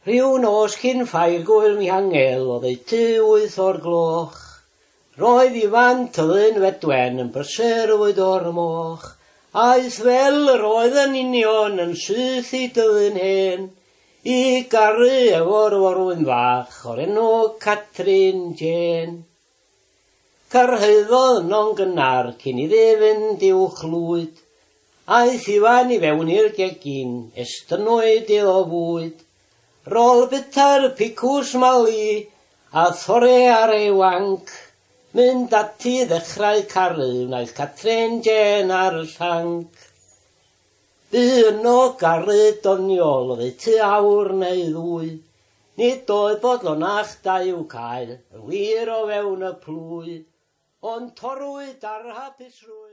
Rhyw nos cyn ffair Gŵyl Mihangel oddeutu 8 o'r gloch, roedd Ifan Tyddyn Fedwen yn brysur fwydo'r moch. Aeth fel yr oedd yn union yn syth i Dyddyn Hen, i garu efo'r forwyn fach o'r enw Catrin Jên. Cyrhaeddodd yno'n gynnar cyn iddi fynd i'w chlwyd. Aeth Ifan i fewn i'r gegin, estynnwyd iddo fwyd. Rôl bwyta'r picws mali a thorri ar ei wanc, mynd ati i ddechrau caru wnaeth Catrin Jên ar y llanc. Bu yno garu doniol oddeutu awr neu ddwy, nid oedd bodlonach da i'w cael yn wir o fewn y plwy, ond torrwyd ar hapusrwydd.